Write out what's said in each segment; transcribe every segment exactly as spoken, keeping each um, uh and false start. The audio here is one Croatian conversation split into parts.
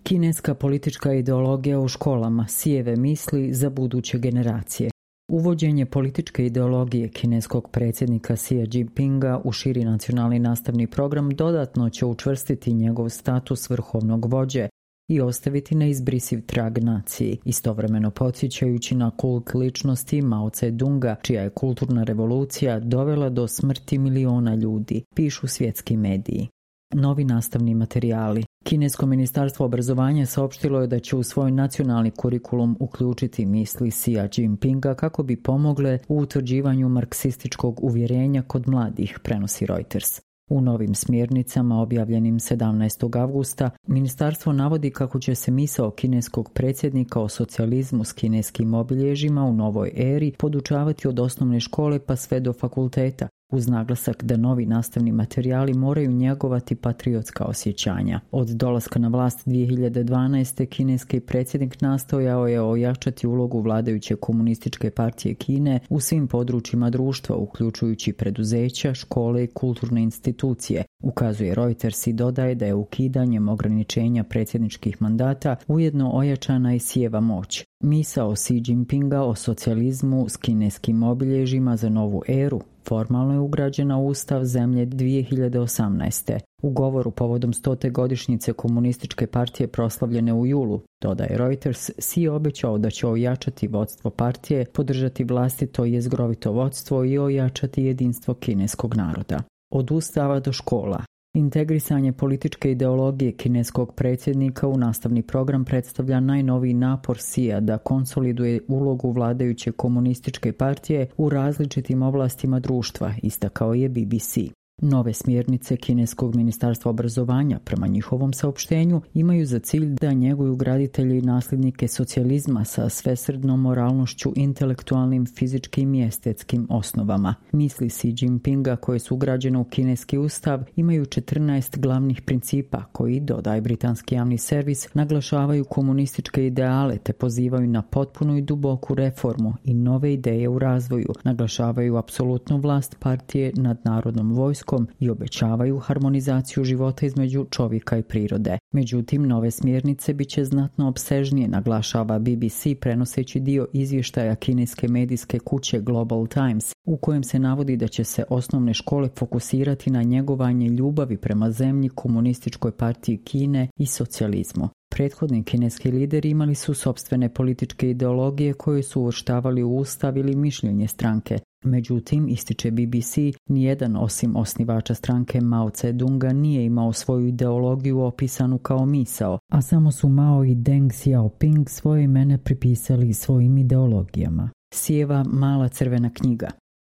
Kineska politička ideologija u školama, sijeve misli za buduće generacije. Uvođenje političke ideologije kineskog predsjednika Xi Jinpinga u širi nacionalni nastavni program dodatno će učvrstiti njegov status vrhovnog vođe i ostaviti neizbrisiv trag naciji, istovremeno podsjećajući na kult ličnosti Mao Tse-dunga, čija je kulturna revolucija dovela do smrti miliona ljudi, pišu svjetski mediji. Novi nastavni materijali. Kinesko ministarstvo obrazovanja saopštilo je da će u svoj nacionalni kurikulum uključiti misli Xi Jinpinga kako bi pomogle u utvrđivanju marksističkog uvjerenja kod mladih, prenosi Reuters. U novim smjernicama objavljenim sedamnaestog avgusta ministarstvo navodi kako će se misao kineskog predsjednika o socijalizmu s kineskim obilježjima u novoj eri podučavati od osnovne škole pa sve do fakulteta, uz naglasak da novi nastavni materijali moraju njegovati patriotska osjećanja. Od dolaska na vlast dvije hiljade dvanaeste. kineski predsjednik nastojao je ojačati ulogu vladajuće komunističke partije Kine u svim područjima društva, uključujući preduzeća, škole i kulturne institucije, ukazuje Reuters i dodaje da je ukidanjem ograničenja predsjedničkih mandata ujedno ojačana i Xijeva moć. Misao Xi Jinpinga o socijalizmu s kineskim obilježjima za novu eru formalno je ugrađena u ustav zemlje dvije hiljade osamnaeste. U govoru povodom stote godišnjice komunističke partije proslavljene u julu, dodaje Reuters, Xi obećao da će ojačati vodstvo partije, podržati vlastito i jezgrovito vodstvo i ojačati jedinstvo kineskog naroda. Od ustava do škola. Integrisanje političke ideologije kineskog predsjednika u nastavni program predstavlja najnoviji napor Xija da konsoliduje ulogu vladajuće komunističke partije u različitim oblastima društva, istakao je B B C. Nove smjernice kineskog ministarstva obrazovanja, prema njihovom saopštenju, imaju za cilj da njeguju graditelji i nasljednike socijalizma sa svesrdnom moralnošću, intelektualnim, fizičkim i estetskim osnovama. Misli Xi Jinpinga koje su ugrađene u kineski ustav imaju četrnaest glavnih principa koji, dodaje britanski javni servis, naglašavaju komunističke ideale te pozivaju na potpunu i duboku reformu i nove ideje u razvoju, naglašavaju apsolutnu vlast partije nad narodnom vojskom i obećavaju harmonizaciju života između čovjeka i prirode. Međutim, nove smjernice bit će znatno opsežnije, naglašava B B C prenoseći dio izvještaja kineske medijske kuće Global Times, u kojem se navodi da će se osnovne škole fokusirati na njegovanje ljubavi prema zemlji, komunističkoj partiji Kine i socijalizmu. Prethodni kineski lideri imali su sopstvene političke ideologije koje su uvrštavali u ustav ili mišljenje stranke. Međutim, ističe B B C, nijedan osim osnivača stranke Mao Tse-dunga nije imao svoju ideologiju opisanu kao misao, a samo su Mao i Deng Xiaoping svoje imene pripisali svojim ideologijama. Xijeva mala crvena knjiga.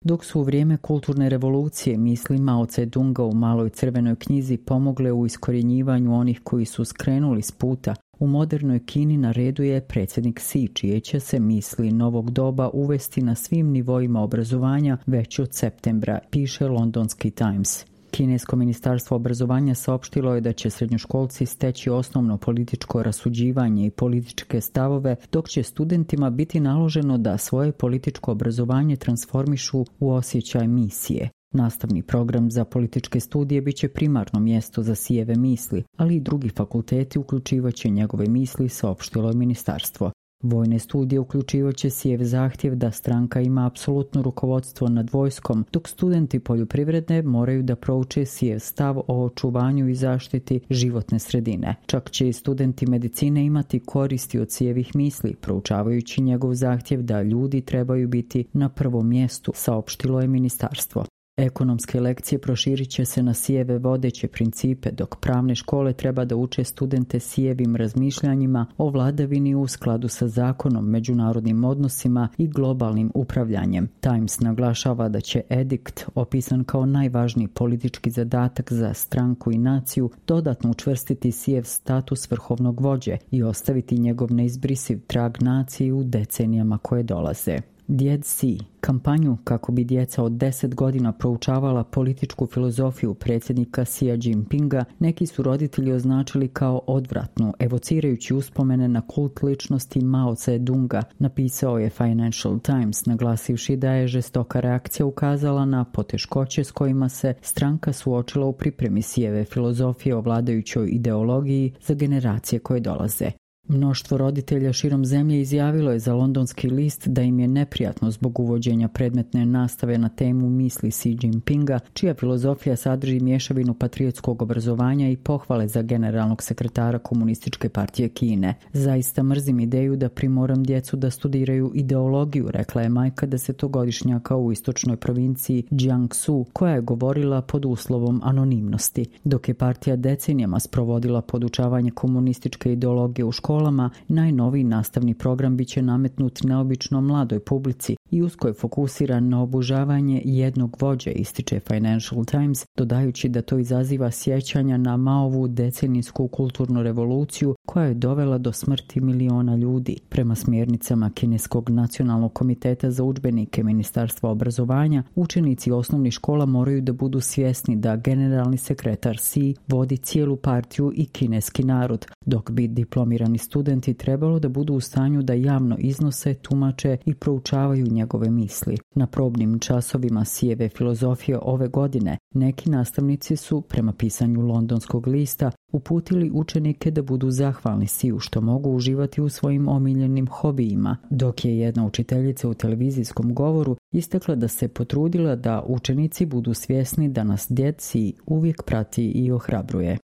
Dok su u vrijeme kulturne revolucije misli Mao Tse-dunga u maloj crvenoj knjizi pomogle u iskorjenjivanju onih koji su skrenuli s puta, u modernoj Kini na redu je predsjednik Xi, čije će se misli novog doba uvesti na svim nivoima obrazovanja već od septembra, piše londonski Times. Kinesko ministarstvo obrazovanja saopštilo je da će srednjoškolci steći osnovno političko rasuđivanje i političke stavove, dok će studentima biti naloženo da svoje političko obrazovanje transformišu u osjećaj misije. Nastavni program za političke studije bit će primarno mjesto za Xijeve misli, ali i drugi fakulteti uključivaće njegove misli, saopštilo je ministarstvo. Vojne studije uključivaće Xijev zahtjev da stranka ima apsolutno rukovodstvo nad vojskom, dok studenti poljoprivredne moraju da prouče Xijev stav o očuvanju i zaštiti životne sredine. Čak će i studenti medicine imati koristi od Xijevih misli, proučavajući njegov zahtjev da ljudi trebaju biti na prvom mjestu, saopštilo je ministarstvo. Ekonomske lekcije proširit će se na Xijeve vodeće principe, dok pravne škole treba da uče studente Xijevim razmišljanjima o vladavini u skladu sa zakonom, međunarodnim odnosima i globalnim upravljanjem. Times naglašava da će edikt, opisan kao najvažniji politički zadatak za stranku i naciju, dodatno učvrstiti Xijev status vrhovnog vođe i ostaviti njegov neizbrisiv trag naciji u decenijama koje dolaze. Djed Si, kampanju kako bi djeca od deset godina proučavala političku filozofiju predsjednika Xi Jinpinga, neki su roditelji označili kao odvratnu, evocirajući uspomene na kult ličnosti Mao Tse-dunga, napisao je Financial Times, naglasivši da je žestoka reakcija ukazala na poteškoće s kojima se stranka suočila u pripremi Xijeve filozofije o vladajućoj ideologiji za generacije koje dolaze. Mnoštvo roditelja širom zemlje izjavilo je za londonski list da im je neprijatno zbog uvođenja predmetne nastave na temu misli Xi Jinpinga, čija filozofija sadrži mješavinu patriotskog obrazovanja i pohvale za generalnog sekretara Komunističke partije Kine. Zaista mrzim ideju da primoram djecu da studiraju ideologiju, rekla je majka desetogodišnjaka u istočnoj provinciji Jiangsu, koja je govorila pod uslovom anonimnosti. Dok je partija decenijama sprovodila podučavanje komunističke ideologije u školi, najnoviji nastavni program biće nametnut neobično mladoj publici i usko je fokusiran na obožavanje jednog vođe, ističe Financial Times, dodajući da to izaziva sjećanja na Maovu decenijsku kulturnu revoluciju koja je dovela do smrti miliona ljudi. Prema smjernicama Kineskog nacionalnog komiteta za udžbenike Ministarstva obrazovanja, učenici osnovnih škola moraju da budu svjesni da generalni sekretar Xi vodi cijelu partiju i kineski narod, dok bi diplomirani studenti trebalo da budu u stanju da javno iznose, tumače i proučavaju njegove misli. Na probnim časovima Xijeve filozofije ove godine neki nastavnici su, prema pisanju londonskog lista, uputili učenike da budu zahvalni Xiju što mogu uživati u svojim omiljenim hobijima, dok je jedna učiteljica u televizijskom govoru istakla da se potrudila da učenici budu svjesni da nas djed Xi uvijek prati i ohrabruje.